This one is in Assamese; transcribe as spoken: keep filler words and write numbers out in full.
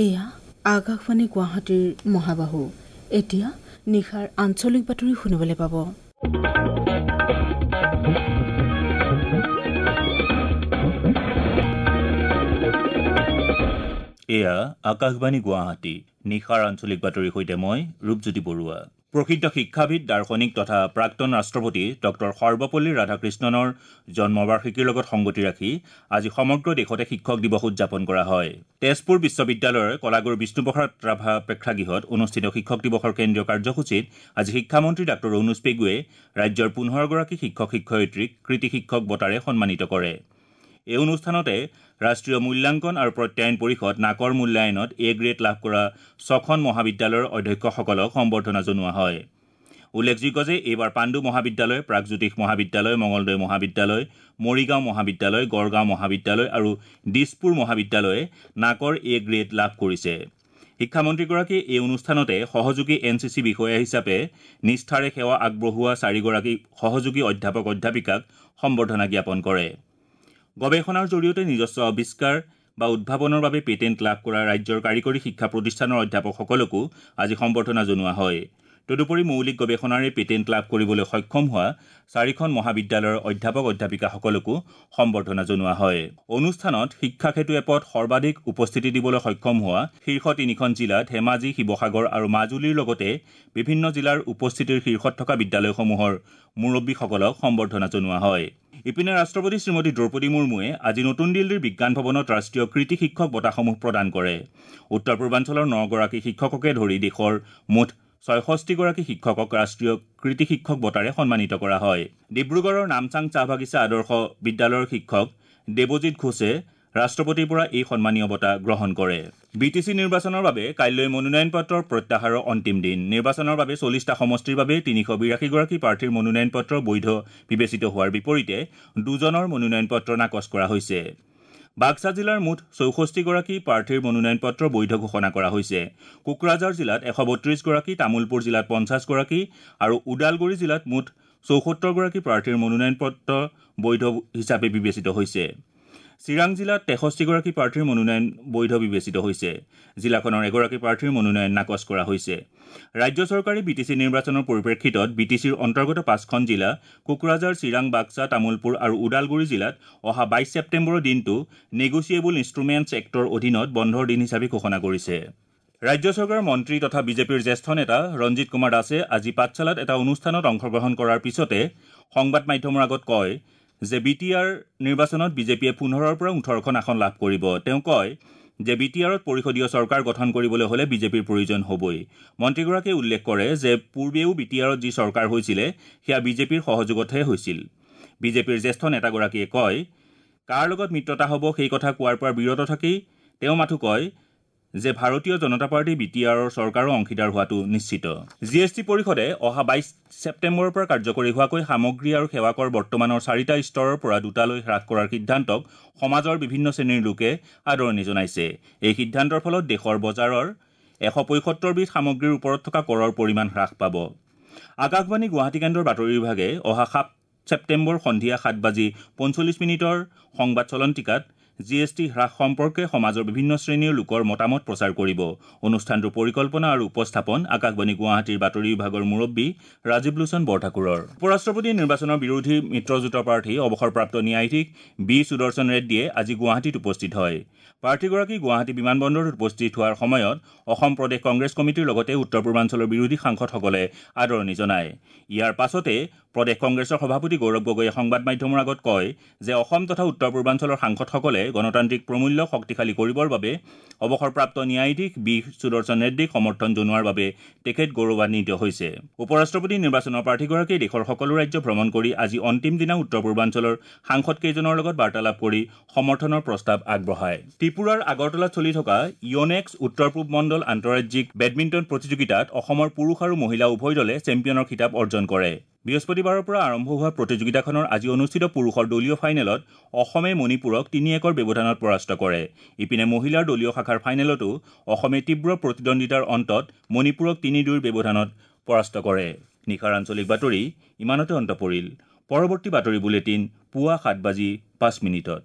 এয়া আকাশবাণী গুৱাহাটীৰ মহাবাহু। এতিয়া নিশাৰ আঞ্চলিক বাতৰি শুনিবলৈ পাব। এয়া আকাশবাণী গুৱাহাটী, নিশাৰ আঞ্চলিক বাতৰিৰ সৈতে মই ৰূপজ্যোতি বৰুৱা। প্ৰসিদ্ধ শিক্ষাবিদ, দাৰ্শনিক তথা প্ৰাক্তন ৰাষ্ট্ৰপতি ডক্টৰ সৰ্বপল্লী ৰাধাকৃষ্ণনৰ জন্মবাৰ্ষিকীৰ লগত সংগতি ৰাখি আজি সমগ্ৰ দেশতে শিক্ষক দিৱস উদযাপন কৰা হয়। তেজপুৰ বিশ্ববিদ্যালয়ৰ কলাগুৰু বিষ্ণুপ্ৰসাদ ৰাভা প্ৰেক্ষাগৃহত অনুষ্ঠিত শিক্ষক দিৱসৰ কেন্দ্ৰীয় কাৰ্যসূচীত আজি শিক্ষামন্ত্ৰী ডাক্তৰ অনুজ পেগুৱে ৰাজ্যৰ পোন্ধৰগৰাকী শিক্ষক শিক্ষয়িত্ৰীক কৃতি শিক্ষক বঁটাৰে সন্মানিত কৰে। এই অনুষ্ঠানতে ৰাষ্ট্ৰীয় মূল্যাংকন আৰু প্ৰত্যায়ন পৰিষদ নাকৰ মূল্যায়নত এ গ্ৰেড লাভ কৰা ছখন মহাবিদ্যালয়ৰ অধ্যক্ষসকলক সম্বৰ্ধনা জনোৱা হয়। উল্লেখযোগ্য যে এইবাৰ পাণ্ডু মহাবিদ্যালয়, প্ৰাগজ্যোতিষ মহাবিদ্যালয়, মঙলদৈ মহাবিদ্যালয়, মৰিগাঁও মহাবিদ্যালয়, গড়গাঁও মহাবিদ্যালয় আৰু দিছপুৰ মহাবিদ্যালয়ে নাকৰ এ গ্ৰেড লাভ কৰিছে। শিক্ষামন্ত্ৰীগৰাকীয়ে এই অনুষ্ঠানতে সহযোগী এন চি চি বিষয়া হিচাপে নিষ্ঠাৰে সেৱা আগবঢ়োৱা চাৰিগৰাকী সহযোগী অধ্যাপক অধ্যাপিকাক সম্বৰ্ধনা জ্ঞাপন কৰে। গৱেষণাৰ জৰিয়তে নিজস্ব আৱিষ্কাৰ বা উদ্ভাৱনৰ বাবে পেটেণ্ট লাভ কৰা ৰাজ্যৰ কাৰিকৰী শিক্ষা প্ৰতিষ্ঠানৰ অধ্যাপকসকলকো আজি সম্বৰ্ধনা জনোৱা হয়। তদুপৰি মৌলিক গৱেষণাৰে পেটেণ্ট লাভ কৰিবলৈ সক্ষম হোৱা চাৰিখন মহাবিদ্যালয়ৰ অধ্যাপক অধ্যাপিকাসকলকো সম্বৰ্ধনা জনোৱা হয়। অনুষ্ঠানত শিক্ষা সেতু এপত সৰ্বাধিক উপস্থিতি দিবলৈ সক্ষম হোৱা শীৰ্ষ তিনিখন জিলা ধেমাজি, শিৱসাগৰ আৰু মাজুলীৰ লগতে বিভিন্ন জিলাৰ উপস্থিতিৰ শীৰ্ষত থকা বিদ্যালয়সমূহৰ মুৰব্বীসকলক সম্বৰ্ধনা জনোৱা হয়। ইপিনে ৰাষ্ট্ৰপতি শ্ৰীমতী দ্ৰৌপদী মুৰ্মুৱে আজি নতুন দিল্লীৰ বিজ্ঞান ভৱনত ৰাষ্ট্ৰীয় কৃতি শিক্ষক বঁটাসমূহ প্ৰদান কৰে। উত্তৰ পূৰ্বাঞ্চলৰ নগৰাকী শিক্ষককে ধৰি দেশৰ মুঠ ছয়ষষ্ঠিগৰাকী শিক্ষকক ৰাষ্ট্ৰীয় কৃতি শিক্ষক বঁটাৰে সন্মানিত কৰা হয়। ডিব্ৰুগড়ৰ নামচাং চাহ বাগিচা আদৰ্শ বিদ্যালয়ৰ শিক্ষক দেৱজিৎ ঘোষে ৰাষ্ট্ৰপতিৰ পৰা এই সন্মানীয় বঁটা গ্ৰহণ কৰে। বি টি চি নিৰ্বাচনৰ বাবে কাইলৈ মনোনয়ন পত্ৰৰ প্ৰত্যাহাৰৰ অন্তিম দিন। নিৰ্বাচনৰ বাবে চল্লিছটা সমষ্টিৰ বাবে তিনিশ বিৰাশীগৰাকী প্ৰাৰ্থীৰ মনোনয়ন পত্ৰ বৈধ বিবেচিত হোৱাৰ বিপৰীতে দুজনৰ মনোনয়ন পত্ৰ নাকচ কৰা হৈছে। বাক্সা জিলাৰ মুঠ চৌষষ্ঠিগৰাকী প্ৰাৰ্থীৰ মনোনয়ন পত্ৰ বৈধ ঘোষণা কৰা হৈছে। কোকৰাঝাৰ জিলাত এশ বত্ৰিছগৰাকী, তামুলপুৰ জিলাত পঞ্চাছগৰাকী আৰু ওদালগুৰি জিলাত মুঠ চৌসত্তৰগৰাকী প্ৰাৰ্থীৰ মনোনয়ন পত্ৰ বৈধ হিচাপে বিবেচিত হৈছে। চিৰাং জিলাত তেষষ্ঠিগৰাকী প্ৰাৰ্থীৰ মনোনয়ন বৈধ বিবেচিত হৈছে। জিলাখনৰ এগৰাকী প্ৰাৰ্থীৰ মনোনয়ন নাকচ কৰা হৈছে। ৰাজ্য চৰকাৰে বি টি চি নিৰ্বাচনৰ পৰিপ্ৰেক্ষিতত বি টি চিৰ অন্তৰ্গত পাঁচখন জিলা কোকৰাঝাৰ, চিৰাং, বাক্সা, তামুলপুৰ আৰু ওদালগুৰি জিলাত অহা বাইছ ছেপ্টেম্বৰৰ দিনটো নেগোচিয়েবল ইনষ্ট্ৰুমেণ্টছ এক্টৰ অধীনত বন্ধৰ দিন হিচাপে ঘোষণা কৰিছে। ৰাজ্য চৰকাৰৰ মন্ত্ৰী তথা বিজেপিৰ জ্যেষ্ঠ নেতা ৰঞ্জিত কুমাৰ দাসে আজি পাঠশালাত এটা অনুষ্ঠানত অংশগ্ৰহণ কৰাৰ পিছতে সংবাদ মাধ্যমৰ আগত কয় যে বি টি আৰ নিৰ্বাচনত বিজেপিয়ে পোন্ধৰৰ পৰা ওঠৰখন আসন লাভ কৰিব। তেওঁ কয় যে বি টি আৰত পৰিষদীয় চৰকাৰ গঠন কৰিবলৈ হ'লে বিজেপিৰ প্ৰয়োজন হ'বই। মন্ত্ৰীগৰাকীয়ে উল্লেখ কৰে যে পূৰ্বেও বি টি আৰত যি চৰকাৰ হৈছিলে সেয়া বিজেপিৰ সহযোগতহে হৈছিল। বিজেপিৰ জ্যেষ্ঠ নেতাগৰাকীয়ে কয়, কাৰ লগত মিত্ৰতা হ'ব সেই কথা কোৱাৰ পৰা বিৰত থাকি তেওঁ মাথো কয় যে ভাৰতীয় জনতা পাৰ্টী বি টি আৰৰ চৰকাৰৰ অংশীদাৰ হোৱাটো নিশ্চিত। জি এছ টি পৰিষদে অহা বাইছ ছেপ্টেম্বৰৰ পৰা কাৰ্যকৰী হোৱাকৈ সামগ্ৰী আৰু সেৱা কৰ বৰ্তমানৰ চাৰিটা স্তৰৰ পৰা দুটালৈ হ্ৰাস কৰাৰ সিদ্ধান্তক সমাজৰ বিভিন্ন শ্ৰেণীৰ লোকে আদৰণি জনাইছে। এই সিদ্ধান্তৰ ফলত দেশৰ বজাৰৰ এশ পঁয়সত্তৰবিধ সামগ্ৰীৰ ওপৰত থকা কৰৰ পৰিমাণ হ্ৰাস পাব। আকাশবাণী গুৱাহাটী কেন্দ্ৰৰ বাতৰি বিভাগে অহা সাত ছেপ্টেম্বৰ সন্ধিয়া সাত বাজি পঞ্চল্লিছ মিনিটৰ সংবাদ চলন্তিকাত জি এছ টি হ্ৰাস সম্পৰ্কে সমাজৰ বিভিন্ন শ্ৰেণীৰ লোকৰ মতামত প্ৰচাৰ কৰিব। অনুষ্ঠানটোৰ পৰিকল্পনা আৰু উপস্থাপন আকাশবাণী গুৱাহাটীৰ বাতৰি বিভাগৰ মুৰব্বী ৰাজীৱ লোচন বৰঠাকুৰৰ। উপৰাষ্ট্ৰপতি নিৰ্বাচনৰ বিৰোধী মিত্ৰজোঁটৰ প্ৰাৰ্থী অৱসৰপ্ৰাপ্ত ন্যায়াধীশ বি সুদৰ্শন ৰেড্ডীয়ে আজি গুৱাহাটীত উপস্থিত হয়। প্ৰাৰ্থীগৰাকী গুৱাহাটী বিমানবন্দৰত উপস্থিত হোৱাৰ সময়ত অসম প্ৰদেশ কংগ্ৰেছ কমিটিৰ লগতে উত্তৰ পূৰ্বাঞ্চলৰ বিৰোধী সাংসদসকলে আদৰণি জনায়। ইয়াৰ পাছতে প্ৰদেশ কংগ্ৰেছৰ সভাপতি গৌৰৱ গগৈয়ে সংবাদ মাধ্যমৰ আগত কয় যে অসম তথা উত্তৰ পূৰ্বাঞ্চলৰ সাংসদসকলে গণতান্ত্ৰিক প্ৰমূল্য শক্তিশালী কৰিবৰ বাবে অৱসৰপ্ৰাপ্ত ন্যায়াধীশ বি সুদৰ্শন ৰেড্ডীক সমৰ্থন জনোৱাৰ বাবে তেখেত গৌৰৱান্বিত হৈছে। উপৰাষ্ট্ৰপতি নিৰ্বাচনৰ প্ৰাৰ্থীগৰাকীয়ে দেশৰ সকলো ৰাজ্য ভ্ৰমণ কৰি আজি অন্তিম দিনা উত্তৰ পূৰ্বাঞ্চলৰ সাংসদকেইজনৰ লগত বাৰ্তালাপ কৰি সমৰ্থনৰ প্ৰস্তাৱ আগবঢ়ায়। ত্ৰিপুৰাৰ আগৰতলাত চলি থকা ইয়নেক্স উত্তৰ পূব মণ্ডল আন্তঃৰাজ্যিক বেডমিণ্টন প্ৰতিযোগিতাত অসমৰ পুৰুষ আৰু মহিলা উভয় দলে চেম্পিয়নৰ খিতাপ অৰ্জন কৰে। বৃহস্পতিবাৰৰ পৰা আৰম্ভ হোৱা প্ৰতিযোগিতাখনৰ আজি অনুষ্ঠিত পুৰুষৰ দলীয় ফাইনেলত অসমে মণিপুৰক তিনি একৰ ব্যৱধানত পৰাস্ত কৰে। ইপিনে মহিলাৰ দলীয় শাখাৰ ফাইনেলতো অসমে তীব্ৰ প্ৰতিদ্বন্দ্বিতাৰ অন্তত মণিপুৰক তিনি দুইৰ ব্যৱধানত পৰাস্ত কৰে। নিশাৰ আঞ্চলিক বাতৰি ইমানতে অন্ত পৰিল। পৰৱৰ্তী বাতৰি বুলেটিন পুৱা সাত বাজি পাঁচ মিনিটত।